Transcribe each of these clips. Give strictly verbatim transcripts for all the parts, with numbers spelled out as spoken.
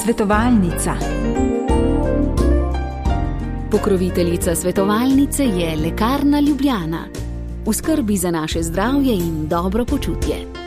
Svetovalnica. Pokroviteljica svetovalnice je Lekarna Ljubljana. V skrbi za naše zdravje in dobro počutje.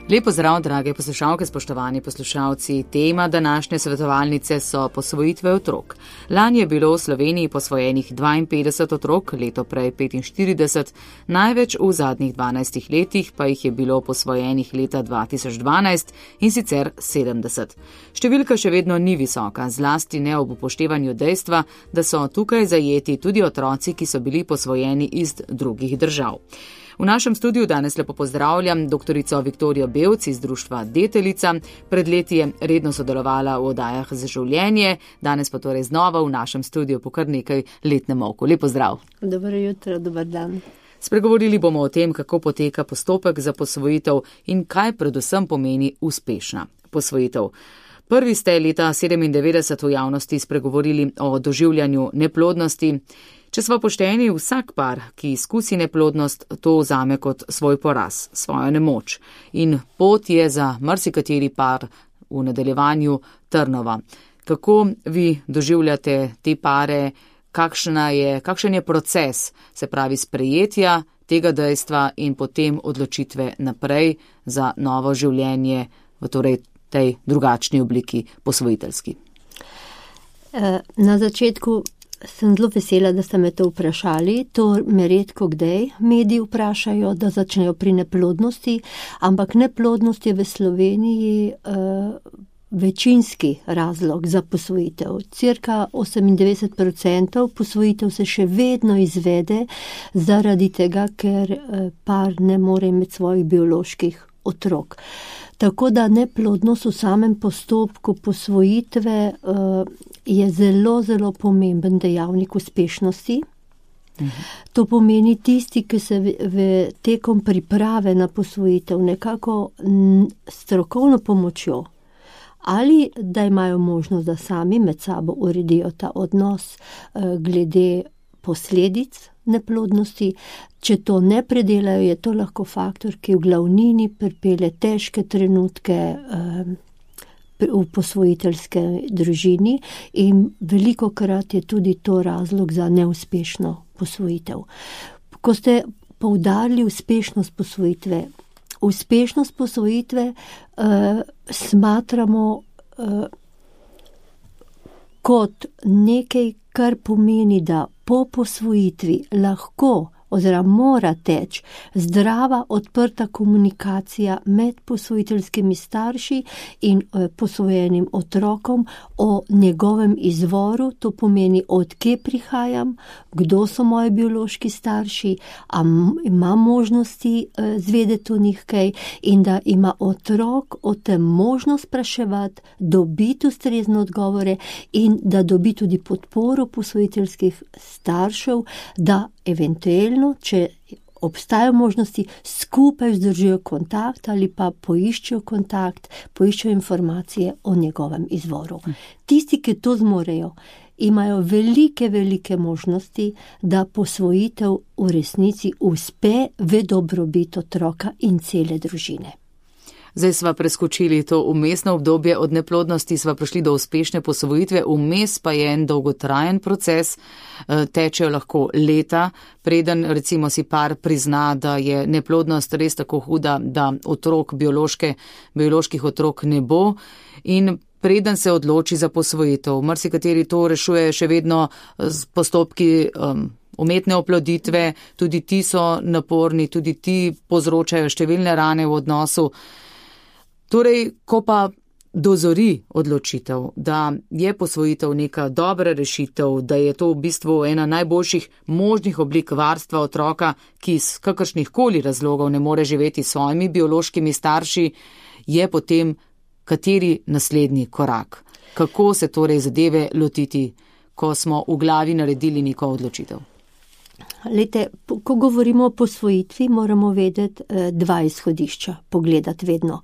Lep pozdrav, drage poslušalke, spoštovani poslušalci. Tema današnje svetovalnice so posvojitve otrok. Lani je bilo v Sloveniji posvojenih dvainpetdeset otrok, leto prej petinštirideset, največ v zadnjih dvanajstih letih pa jih je bilo posvojenih leta dva tisoč dvanajst in sicer sedemdeset. Številka še vedno ni visoka, zlasti ne ob upoštevanju dejstva, da so tukaj zajeti tudi otroci, ki so bili posvojeni iz drugih držav. V našem studiu danes lepo pozdravljam doktorico Viktorijo Bevc iz društva Deteljica. Pred leti je redno sodelovala v oddajah za življenje, danes pa torej znova v našem studiu po kar nekaj letnem molku. Lep pozdrav. Dobro jutro, dober dan. Spregovorili bomo o tem, kako poteka postopek za posvojitev in kaj predvsem pomeni uspešna posvojitev. Prvi ste leta sedemindevetdeset v javnosti spregovorili o doživljanju neplodnosti. Če smo pošteni, vsak par, ki izkusi neplodnost, to vzame kot svoj poraz, svojo nemoč. In pot je za marsikateri par v nadaljevanju trnova. Kako vi doživljate te pare, kakšna je, kakšen je proces, se pravi sprejetja tega dejstva in potem odločitve naprej za novo življenje v torej tej drugačni obliki posvojiteljski? Na začetku sem zelo vesela, da ste me to vprašali. To me redko kdaj mediji vprašajo, da začnejo pri neplodnosti, ampak neplodnost je v Sloveniji uh, večinski razlog za posvojitev. Cirka osemindevetdeset procentov posvojitev se še vedno izvede zaradi tega, ker uh, par ne more imeti svojih bioloških otrok. Tako da neplodnost v samem postopku posvojitve uh, je zelo, zelo pomemben dejavnik uspešnosti. Mhm. To pomeni tisti, ki se v, v tekom priprave na posvojitev nekako n, strokovno pomočjo ali da imajo možnost, da sami med sabo uredijo ta odnos uh, glede posledic neplodnosti. Če to ne predelajo, je to lahko faktor, ki v glavnini pripelje težke trenutke eh, v posvojiteljske družini in veliko krat je tudi to razlog za neuspešno posvojitev. Ko ste poudarili uspešnost posvojitve, uspešnost posvojitve eh, smatramo eh, kot nekaj, kar pomeni, da po posvojitvi lahko oziroma mora teči zdrava, odprta komunikacija med posvojiteljskimi starši in e, posvojenim otrokom o njegovem izvoru, to pomeni, od kje prihajam, kdo so moji biološki starši, a ima možnosti e, zvedeti o njih kaj in da ima otrok o tem možnost spraševati, dobiti ustrezne odgovore in da dobi tudi podporo posvojiteljskih staršev, da eventualno, če obstajajo možnosti, skupaj vzdržijo kontakt ali pa poiščejo kontakt, poiščejo informacije o njegovem izvoru. Tisti, ki to zmorejo, imajo velike, velike možnosti, da posvojitev v resnici uspe v dobrobit otroka in cele družine. Zdaj sva preskočili to vmesno obdobje, od neplodnosti sva prišli do uspešne posvojitve, vmes pa je en dolgotrajen proces, tečejo lahko leta, preden recimo si par prizna, da je neplodnost res tako huda, da otrok, biološke, bioloških otrok ne bo in preden se odloči za posvojitev. Marsikateri to rešuje še vedno z postopki um, umetne oploditve, tudi ti so naporni, tudi ti povzročajo številne rane v odnosu. Torej, ko pa dozori odločitev, da je posvojitev neka dobra rešitev, da je to v bistvu ena najboljših možnih oblik varstva otroka, ki iz kakršnih koli razlogov ne more živeti s svojimi biološkimi starši, je potem kateri naslednji korak? Kako se torej zadeve lotiti, ko smo v glavi naredili neko odločitev? Lejte, ko govorimo o posvojitvi, moramo vedeti dva izhodišča, pogledati vedno.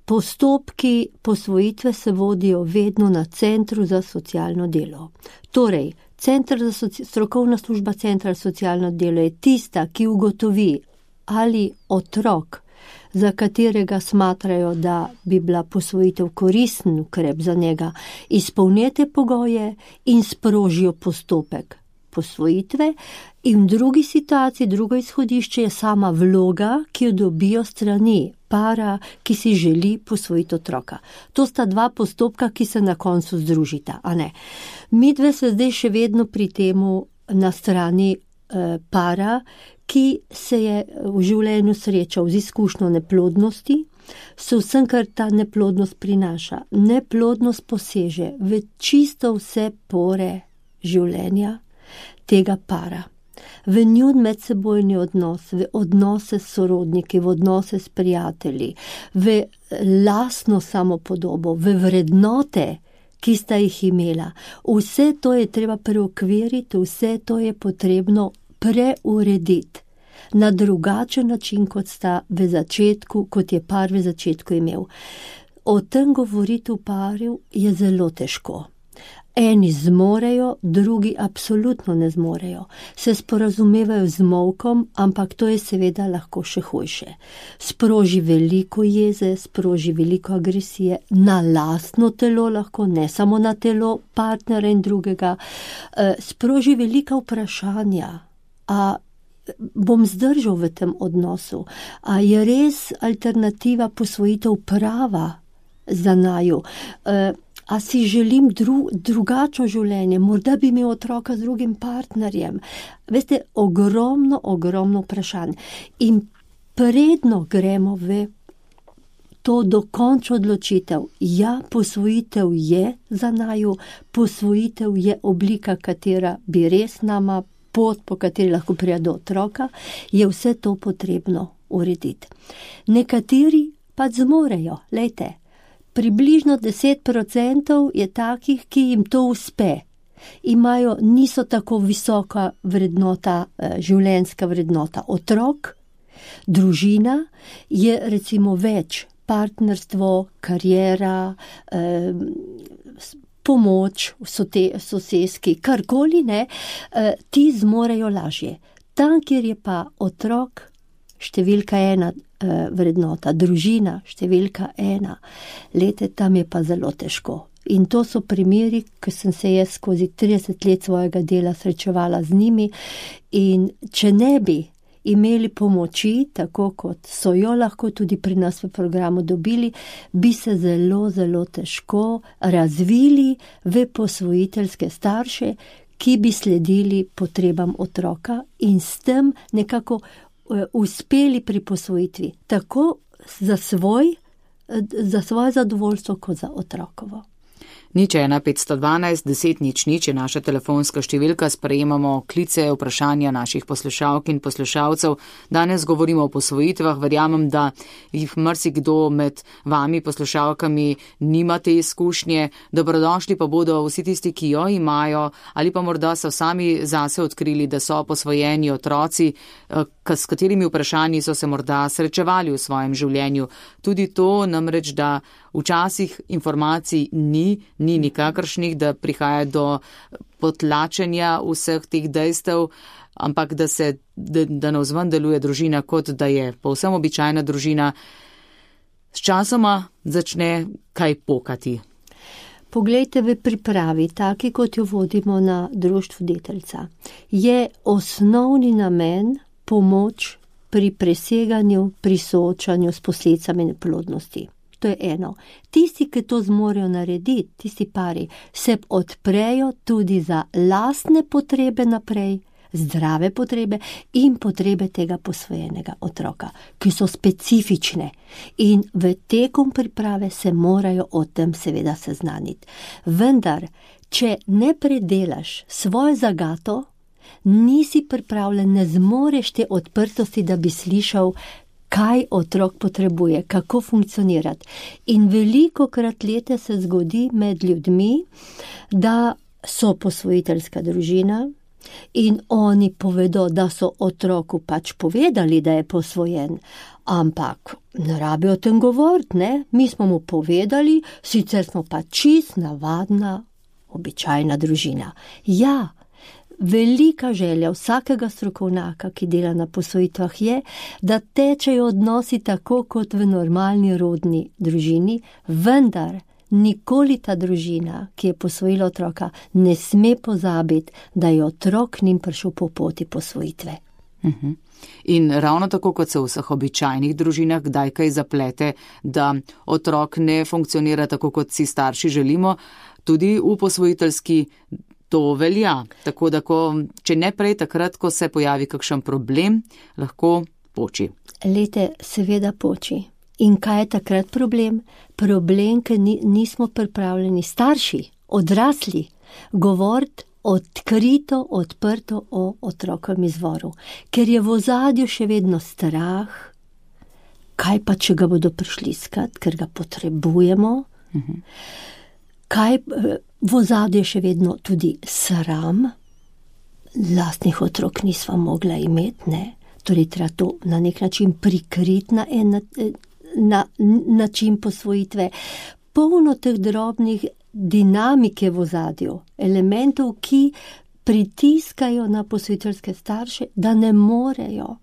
Postopki posvojitve se vodijo vedno na Centru za socialno delo. Torej, Center za soci, strokovna služba Centra za socialno delo je tista, ki ugotovi, ali otrok, za katerega smatrajo, da bi bila posvojitev koristen ukrep za njega, izpolnjete pogoje in sprožijo postopek posvojitve, in v drugi situaciji, drugo izhodišče je sama vloga, ki jo dobijo strani para, ki si želi posvojiti otroka. To sta dva postopka, ki se na koncu združita, a ne. Midve se zdaj še vedno pri temu na strani eh, para, ki se je v življenju srečal z izkušnjo neplodnosti, s vsem, kar ta neplodnost prinaša. Neplodnost poseže v čisto vse pore življenja tega para. V njun medsebojni odnos, v odnose s sorodniki, v odnose s prijatelji, v lastno samopodobo, v vrednote, ki sta jih imela. Vse to je treba preokviriti, vse to je potrebno preurediti na drugačen način, kot sta v začetku, kot je par v začetku imel. O tem govoriti v paru je zelo težko. Eni zmorejo, drugi absolutno ne zmorejo. Se sporazumevajo z molkom, ampak to je seveda lahko še hujše. Sproži veliko jeze, sproži veliko agresije na lastno telo lahko, ne samo na telo partnera in drugega. Sproži velika vprašanja. A bom zdržal v tem odnosu? A je res alternativa posvojitev prava za naju? A si želim dru, drugačno življenje, morda bi imel otroka z drugim partnerjem. Veste, ogromno, ogromno vprašanj. In predno gremo v to dokončno odločitev. Ja, posvojitev je za naju, posvojitev je oblika, katera bi res nama, pot, po kateri lahko prija do otroka, je vse to potrebno urediti. Nekateri pa zmorejo, lejte, približno deset procentov je takih, ki jim to uspe. Imajo, niso tako visoka vrednota, življenjska vrednota. Otrok, družina je recimo več, partnerstvo, kariera, eh, pomoč, soseski, karkoli ne, eh, ti zmorejo lažje. Tam, kjer je pa otrok, številka ena, vrednota, družina, številka ena, lete, tam je pa zelo težko. In to so primeri, ki sem se jaz skozi trideset let svojega dela srečevala z njimi, in če ne bi imeli pomoči, tako kot so jo lahko tudi pri nas v programu dobili, bi se zelo, zelo težko razvili v posvojiteljske starše, ki bi sledili potrebam otroka in s tem nekako uspeli pri posvojitvi, tako za svoj, za svoje zadovoljstvo, kot za otrokovo. Nič ena petsto dvanajst deset nič nič je naša telefonska številka, sprejemamo klice, vprašanja naših poslušalk in poslušalcev. Danes govorimo o posvojitvah, verjamem, da jih marsikdo med vami poslušalkami nima te izkušnje. Dobrodošli pa bodo vsi tisti, ki jo imajo, ali pa morda so sami zase odkrili, da so posvojeni otroci, s katerimi vprašanji so se morda srečevali v svojem življenju. Tudi to namreč, da včasih informacij ni, ni nikakršnih, da prihaja do potlačenja vseh teh dejstev, ampak da se, da, da navzven deluje družina, kot da je povsem običajna družina, s časoma začne kaj pokati. Poglejte, v pripravi, taki kot jo vodimo na društvu Deteljica, je osnovni namen pomoč pri preseganju, pri soočanju s posledicami neplodnosti. To je eno. Tisti, ki to zmorejo narediti, tisti pari, se odprejo tudi za lastne potrebe naprej, zdrave potrebe in potrebe tega posvojenega otroka, ki so specifične. In v tekom priprave se morajo o tem seveda seznaniti. Vendar, če ne predelaš svojo zagato, nisi pripravljen, ne zmoreš te odprtosti, da bi slišal, kaj otrok potrebuje, kako funkcionirati. In veliko krat leta se zgodi med ljudmi, da so posvojiteljska družina in oni povedo, da so otroku pač povedali, da je posvojen, ampak ne rabijo o tem govoriti, ne? Mi smo mu povedali, sicer smo pa čist navadna, običajna družina. Ja, velika želja vsakega strokovnjaka, ki dela na posvojitvah, je, da tečejo odnosi tako kot v normalni rodni družini, vendar nikoli ta družina, ki je posvojila otroka, ne sme pozabiti, da je otrok njim prišel po poti posvojitve. Uh-huh. In ravno tako, kot se v vseh običajnih družinah kdaj kaj zaplete, da otrok ne funkcionira tako, kot si starši želimo, tudi v posvojiteljski to velja. Tako da, ko, če ne prej takrat, ko se pojavi kakšen problem, lahko poči. Lete, seveda poči. In kaj je takrat problem? Problem, ker ni, nismo pripravljeni starši, odrasli, govoriti odkrito, odprto o otrokovem izvoru. Ker je v ozadju še vedno strah, kaj pa, če ga bodo prišli iskat, ker ga potrebujemo. Uh-huh. Kaj v ozadju je še vedno tudi sram, lastnih otrok nisva mogla imeti, ne? Torej treba to na nek način prikriti na en na način posvojitve. Polno teh drobnih dinamike v ozadju, elementov, ki pritiskajo na posvojiteljske starše, da ne morejo,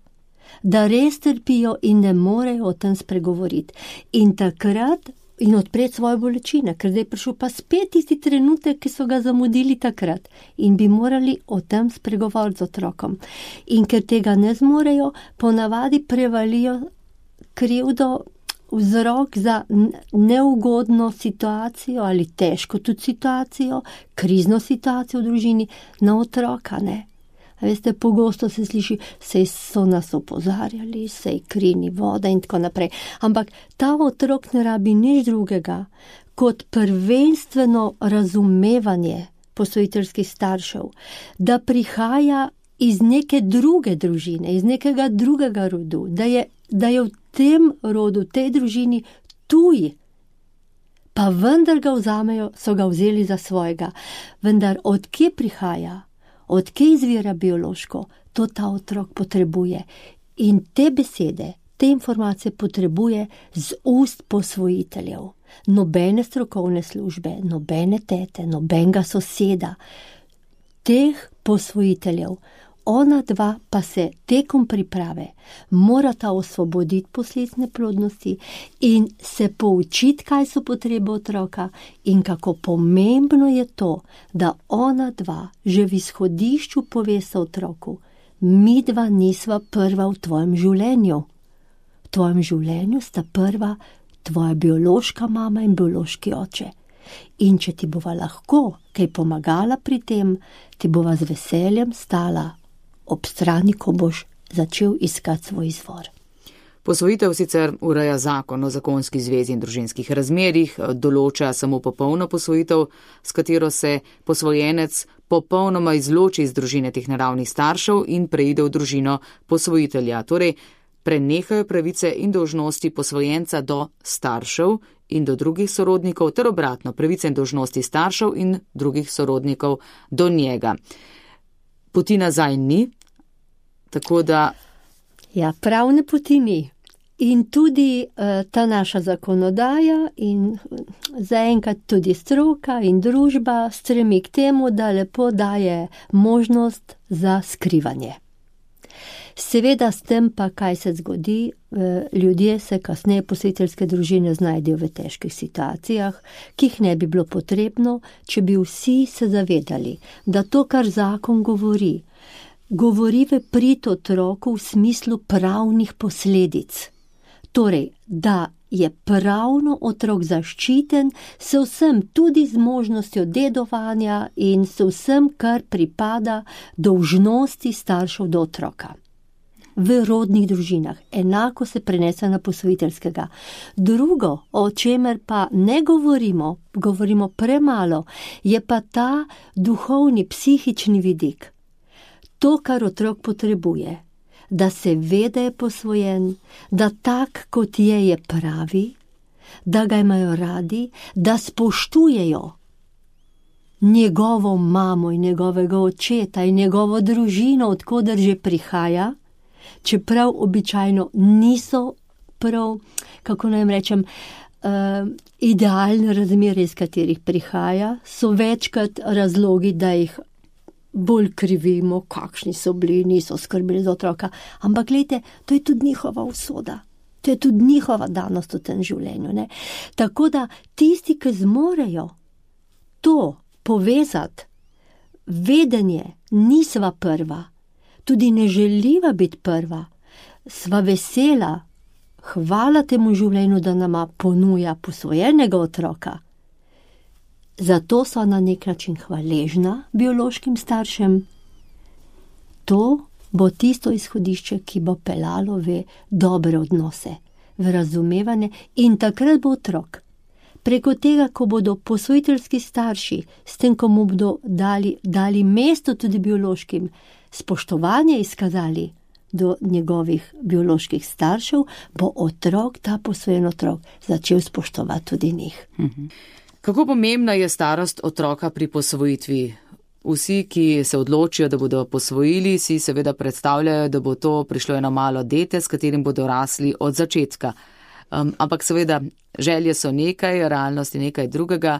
da res trpijo in ne morejo o tem spregovoriti. In takrat in odpreti svoje bolečine, ker zdaj je prišel pa spet tisti trenutek, ki so ga zamudili takrat in bi morali o tem spregovoriti z otrokom. In ker tega ne zmorejo, ponavadi prevalijo krivdo, vzrok za neugodno situacijo ali težko tudi situacijo, krizno situacijo v družini na otroka, ne. A veste, pogosto se sliši, sej so nas opozarjali, sej kri ni voda in tako naprej. Ampak ta otrok ne rabi nič drugega kot prvenstveno razumevanje posvojiteljskih staršev, da prihaja iz neke druge družine, iz nekega drugega rodu, da je, da je v tem rodu, v tej družini tuj, pa vendar ga vzamejo, so ga vzeli za svojega. Vendar od kje prihaja? Od kje izvira biološko, to ta otrok potrebuje. In te besede, te informacije potrebuje z ust posvojiteljev. Nobene strokovne službe, nobene tete, nobenega soseda, teh posvojiteljev. Ona dva pa se tekom priprave morata osvoboditi posledic neplodnosti in se poučiti, kaj so potrebe otroka in kako pomembno je to, da ona dva že v izhodišču povesta otroku, mi dva nisva prva v tvojem življenju. V tvojem življenju sta prva tvoja biološka mama in biološki oče. In če ti bova lahko kaj pomagala pri tem, ti bova z veseljem stala ob strani, ko boš začel iskati svoj izvor. Posvojitev sicer ureja zakon o zakonski zvezi in družinskih razmerjih, določa samo popolno posvojitev, s katero se posvojenec popolnoma izloči iz družine teh naravnih staršev in preide v družino posvojitelja. Torej, prenehajo pravice in dolžnosti posvojenca do staršev in do drugih sorodnikov, ter obratno, pravice in dolžnosti staršev in drugih sorodnikov do njega. Poti nazaj ni, tako da... Ja, pravne poti ni. In tudi uh, ta naša zakonodaja in zaenkrat tudi stroka in družba stremi k temu, da lepo daje možnost za skrivanje. Seveda s tem pa, kaj se zgodi, ljudje se kasneje posvojiteljske družine znajdejo v težkih situacijah, ki jih ne bi bilo potrebno, če bi vsi se zavedali, da to, kar zakon govori, govori v prid otroku v smislu pravnih posledic. Torej, da je pravno otrok zaščiten s vsem, tudi z možnostjo dedovanja in s vsem, kar pripada dolžnosti staršev do otroka. V rodnih družinah. Enako se prenese na posvojiteljskega. Drugo, o čemer pa ne govorimo, govorimo premalo, je pa ta duhovni, psihični vidik. To, kar otrok potrebuje, da se ve, da je posvojen, da tak, kot je, je pravi, da ga imajo radi, da spoštujejo njegovo mamo in njegovega očeta in njegovo družino, odkoder že prihaja, čeprav običajno niso prav, kako naj rečem, uh, idealne razmere, iz katerih prihaja, so večkrat razlogi, da jih bolj krivimo, kakšni so bili, niso skrbeli za otroka. Ampak gledajte, to je tudi njihova usoda. To je tudi njihova danost v tem življenju. Ne? Tako da tisti, ki zmorejo to povezati, vedenje, nisva prva, tudi ne želiva biti prva, sva vesela, hvala temu življenju, da nama ponuja posvojenega otroka. Zato so na nek način hvaležna biološkim staršem. To bo tisto izhodišče, ki bo pelalo v dobre odnose, v razumevanje, in takrat bo otrok. Preko tega, ko bodo posvojiteljski starši, s tem, ko mu bodo dali, dali mesto tudi biološkim, spoštovanje izkazali do njegovih bioloških staršev, bo otrok, ta posvojen otrok, začel spoštovati tudi njih. Mhm. Kako pomembna je starost otroka pri posvojitvi? Vsi, ki se odločijo, da bodo posvojili, si seveda predstavljajo, da bo to prišlo eno malo dete, s katerim bodo rasli od začetka. Um, ampak seveda, želje so nekaj, realnost je nekaj drugega.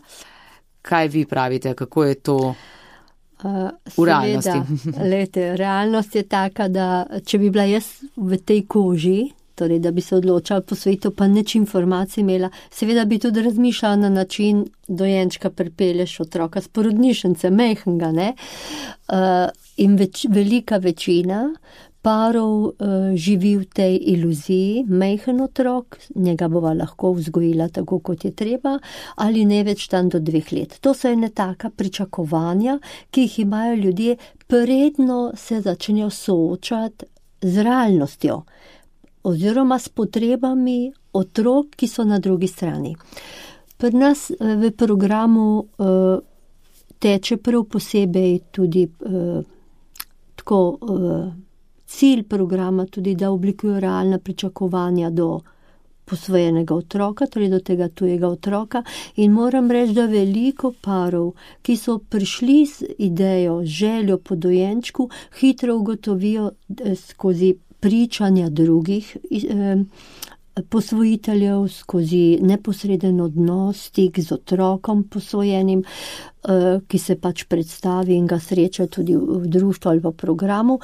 Kaj vi pravite, kako je to uh, v realnosti? Lejte, realnost je taka, da če bi bila jaz v tej koži, torej da bi se odločala posvojitev, pa nič informacij imela, seveda bi tudi razmišljala na način dojenčka pripelješ otroka s porodnišnice, mehkega, ne? Uh, in več, velika večina parov uh, živi v tej iluziji, mehen otrok, njega bova lahko vzgojila tako, kot je treba, ali ne več tam do dveh let. To so ene taka pričakovanja, ki jih imajo ljudje, predno se začnejo soočati z realnostjo, oziroma s potrebami otrok, ki so na drugi strani. Pri nas v programu uh, teče prav posebej tudi uh, tako uh, cilj programa, tudi da oblikuje realna pričakovanja do posvojenega otroka, torej do tega tujega otroka, in moram reči, da veliko parov, ki so prišli z idejo, željo po dojenčku, hitro ugotovijo skozi pričanja drugih eh, posvojiteljev, skozi neposreden odnos, stik z otrokom posvojenim, eh, ki se pač predstavi in ga sreča tudi v, v društvu ali v programu,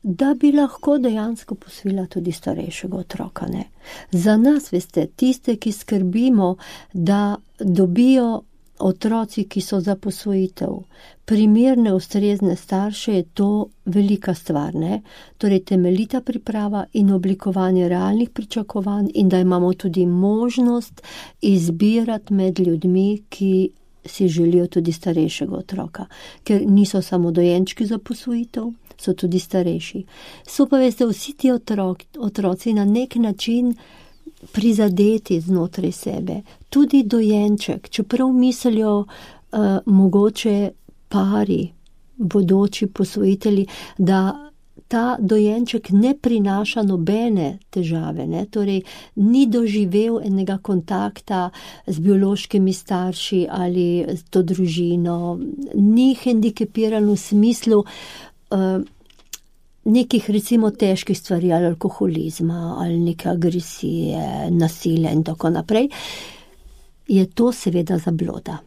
da bi lahko dejansko posvojila tudi starejšega otroka. Ne? Za nas, veste, tiste, ki skrbimo, da dobijo otroci, ki so za posvojitev, primerne, ustrezne starše, je to velika stvar, ne? Torej temeljita priprava in oblikovanje realnih pričakovanj, in da imamo tudi možnost izbirati med ljudmi, ki si želijo tudi starejšega otroka, ker niso samo dojenčki za posvojitev, so tudi starejši. So pa, veste, vsi ti otrok, otroci na nek način prizadeti znotraj sebe. Tudi dojenček, čeprav mislijo uh, mogoče pari, bodoči posvojitelji, da ta dojenček ne prinaša nobene težave, ne? Torej ni doživel enega kontakta z biološkimi starši ali z to družino, ni hendikepiran v smislu uh, nekih recimo težkih stvari, ali alkoholizma, ali neke agresije, nasilja in tako naprej, je to seveda zabloda.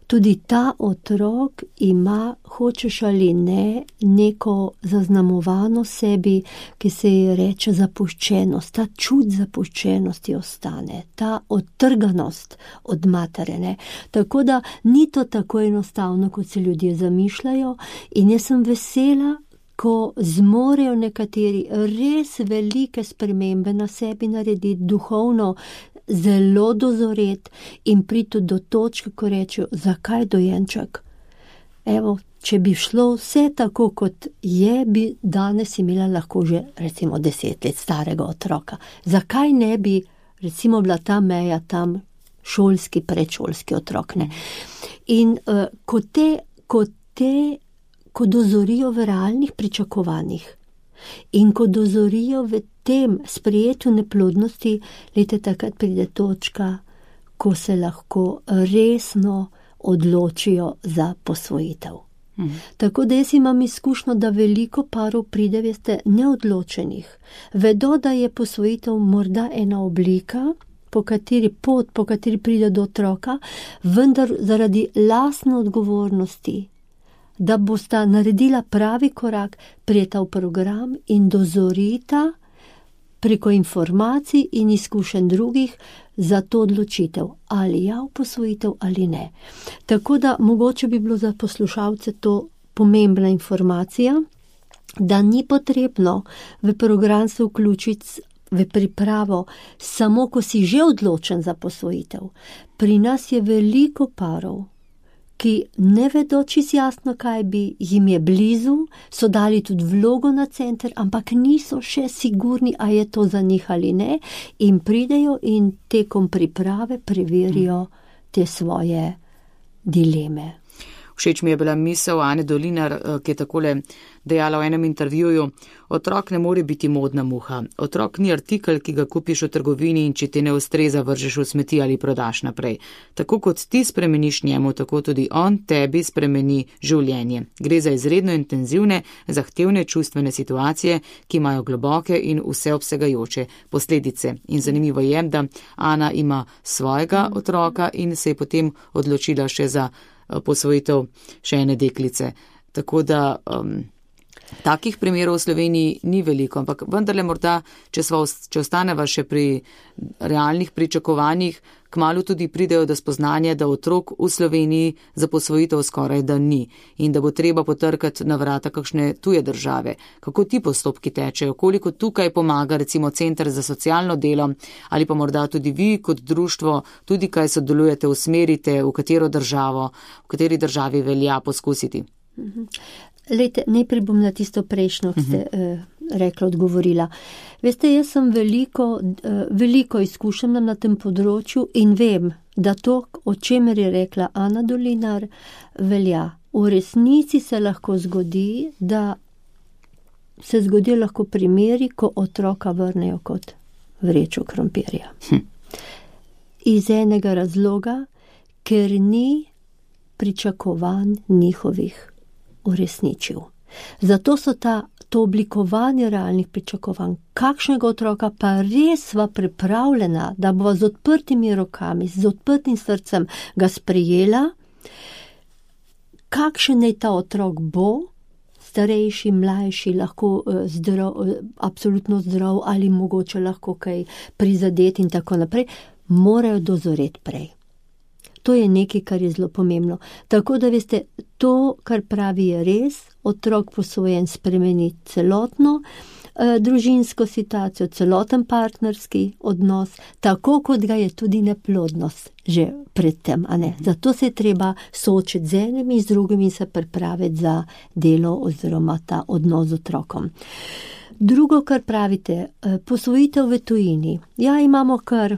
Tudi ta otrok ima, hočeš ali ne, neko zaznamovano sebi, ki se ji reče zapuščenost. Ta čut zapuščenosti ostane, ta odtrganost od matere, ne. Tako da ni to tako enostavno, kot se ljudje zamišljajo, in jaz sem vesela, ko zmorejo nekateri res velike spremembe na sebi narediti, duhovno zelo dozoret in priti do točke, ko rečejo, zakaj dojenček? Evo, če bi šlo vse tako, kot je, bi danes imela lahko že recimo deset let starega otroka. Zakaj ne bi recimo bila ta meja tam šolski, predšolski otrok, ne? In uh, ko te, ko te ko dozorijo v realnih pričakovanjih in ko dozorijo v tem sprejetju neplodnosti, lete takrat pride točka, ko se lahko resno odločijo za posvojitev. Mhm. Tako da jaz imam izkušnjo, da veliko parov pride, veste, neodločenih. Vedo, da je posvojitev morda ena oblika, po kateri pot, po kateri pride do otroka, vendar zaradi lastne odgovornosti da bosta naredila pravi korak, prijeta v program in dozorita preko informacij in izkušenj drugih za to odločitev, ali ja v posvojitev ali ne. Tako da mogoče bi bilo za poslušalce to pomembna informacija, da ni potrebno v program se vključiti v pripravo samo, ko si že odločen za posvojitev. Pri nas je veliko parov, ki ne vedo čisto jasno, kaj bi, jim je blizu, so dali tudi vlogo na center, ampak niso še sigurni, a je to za njih ali ne, in pridejo in tekom priprave preverijo te svoje dileme. Všeč mi je bila misel Ane Dolinar, ki je takole dejala v enem intervjuju: otrok ne more biti modna muha. Otrok ni artikel, ki ga kupiš v trgovini in če ti ne ustreza, vržeš v smeti ali prodaš naprej. Tako kot ti spremeniš njemu, tako tudi on tebi spremeni življenje. Gre za izredno intenzivne, zahtevne čustvene situacije, ki imajo globoke in vseobsegajoče posledice. In zanimivo je, da Ana ima svojega otroka in se je potem odločila še za posvojitev še ene deklice. Tako da um, takih primerov v Sloveniji ni veliko, ampak vendarle morda, če, sva, če ostaneva še pri realnih pričakovanjih, kmalu tudi pridejo do spoznanja, da otrok v Sloveniji za posvojitev skoraj da ni in da bo treba potrkati na vrata kakšne tuje države. Kako ti postopki tečejo, koliko tukaj pomaga recimo Center za socialno delo ali pa morda tudi vi kot društvo, tudi kaj sodelujete, usmerite, v katero državo, v kateri državi velja poskusiti? Lejte, najprej bom na tisto prejšnjo, ki ste uh, rekla, odgovorila. Veste, jaz sem veliko, uh, veliko izkušena na tem področju in vem, da to, o čemer je rekla Ana Dolinar, velja. V resnici se lahko zgodi, da se zgodi lahko primeri, ko otroka vrnejo kot vrečo krompirja. Hm. Iz enega razloga, ker ni pričakovanj njihovih uresničil. Zato so ta, to oblikovanje realnih pričakovanj, kakšnega otroka pa res sva pripravljena, da bova z odprtimi rokami, z odprtim srcem ga sprejela, kakšen naj ta otrok bo, starejši, mlajši, lahko zdrav, absolutno zdrav ali mogoče lahko kaj prizadet in tako naprej, morajo dozoreti prej. To je nekaj, kar je zelo pomembno. Tako da veste, to, kar pravi, je res, otrok posvojen spremeni celotno eh, družinsko situacijo, celoten partnerski odnos, tako kot ga je tudi neplodnost že predtem, a ne. Zato se je treba soočiti z enimi in z drugimi in se pripraviti za delo oziroma ta odnos z otrokom. Drugo, kar pravite, eh, posvojitev v tujini. Ja, imamo kar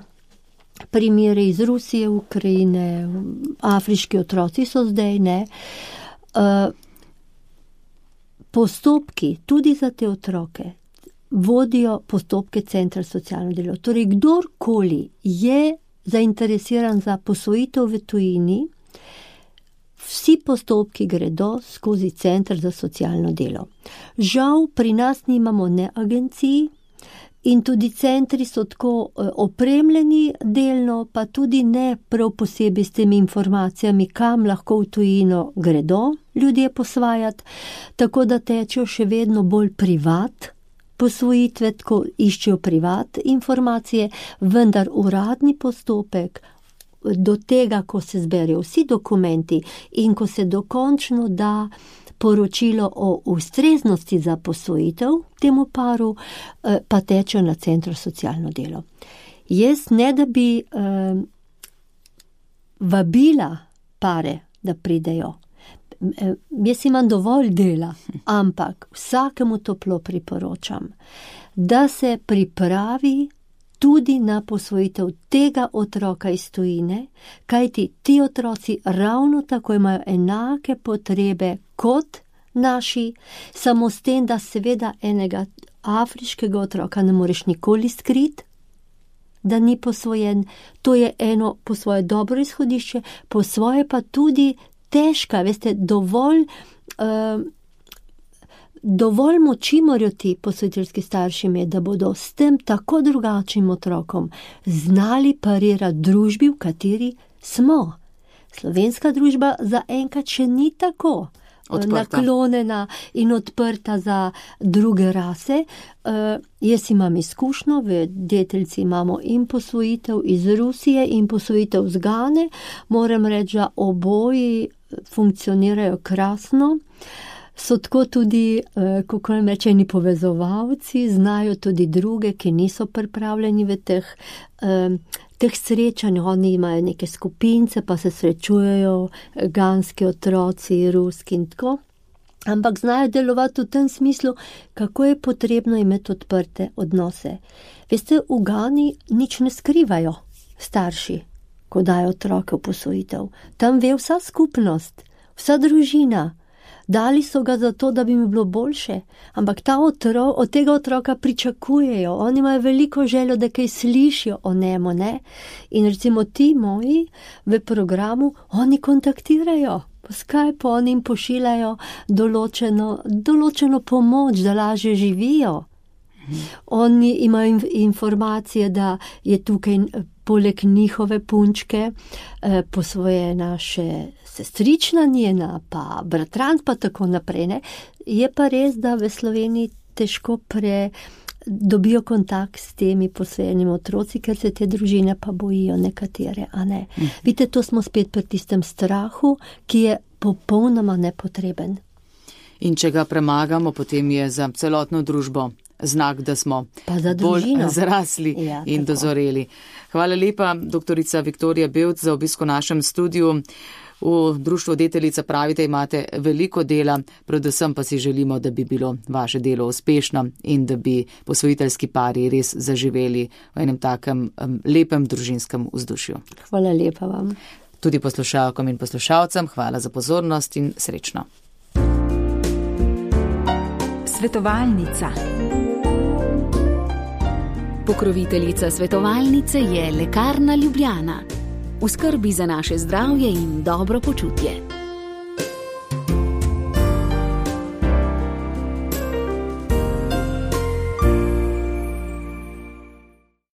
primere iz Rusije, Ukrajine, afriški otroci so zdaj, ne. Uh, postopki tudi za te otroke vodijo postopke Centra za socialno delo. Torej, kdorkoli je zainteresiran za posvojitev v tujini, vsi postopki gredo skozi Center za socialno delo. Žal, pri nas nimamo ne agencij, in tudi centri so tako opremljeni delno, pa tudi ne prav posebej s temi informacijami, kam lahko v tujino gredo ljudje posvajati, tako da tečejo še vedno bolj privat posvojitve, tako iščejo privat informacije, vendar uradni postopek do tega, ko se zberijo vsi dokumenti in ko se dokončno da poročilo o ustreznosti za posvojitev temu paru, pa teče na Centru za socialno delo. Jaz ne da bi eh, vabila pare, da pridejo. Eh, jaz imam dovolj dela, ampak vsakemu toplo priporočam, da se pripravi tudi na posvojitev tega otroka iz tujine, kajti ti otroci ravno tako imajo enake potrebe kot naši, samo s tem, da seveda enega afriškega otroka ne moreš nikoli skriti, da ni posvojen. To je eno po svoje dobro izhodišče, po svoje pa tudi težka, veste, dovolj uh, dovolj moči morajo ti posvojiteljski starši imeti, da bodo s tem tako drugačnim otrokom znali parirati družbi, v kateri smo. Slovenska družba zaenkrat še ni tako odprta. naklonjena in odprta za druge rase. Uh, jaz imam izkušnjo, v Deteljci imamo in posvojitev iz Rusije in posvojitev z Gane. Moram reči, da oboji funkcionirajo krasno. So tako tudi, kako nam rečeni, povezovalci, znajo tudi druge, ki niso pripravljeni v teh, teh srečanj. Oni imajo neke skupince, pa se srečujejo ganski otroci, ruski in tako. Ampak znajo delovati v tem smislu, kako je potrebno imeti odprte odnose. Veste, v Gani nič ne skrivajo starši, ko dajo otroke v posvojitev. Tam ve vsa skupnost, vsa družina. Dali so ga zato, da bi mi bilo boljše, ampak ta otro, od tega otroka pričakujejo, oni imajo veliko željo, da kaj slišijo o njemu, ne? In recimo ti moji v programu, oni kontaktirajo, po Skypeu oni jim pošiljajo določeno, določeno pomoč, da lažje živijo. Oni imajo informacije, da je tukaj poleg njihove punčke eh, posvojena še sestrična njena, pa bratranc, pa tako naprej. Ne? Je pa res, da v Sloveniji težko pre dobijo kontakt s temi posvojenimi otroci, ker se te družine pa bojijo nekatere, a ne. Mm. Vidite, to smo spet pri tistem strahu, ki je popolnoma nepotreben. In če ga premagamo, potem je za celotno družbo znak, da smo bolj zrasli ja, in tako. Dozoreli. Hvala lepa, doktorica Viktorija Bevc, za obisk v našem studiu. V društvu Deteljica pravite, imate veliko dela, predvsem pa si želimo, da bi bilo vaše delo uspešno in da bi posvojiteljski pari res zaživeli v enem takem um, lepem družinskem vzdušju. Hvala lepa vam. Tudi poslušalkom in poslušalcem hvala za pozornost in srečno. Svetovalnica. Pokroviteljica svetovalnice je Lekarna Ljubljana. V skrbi za naše zdravje in dobro počutje.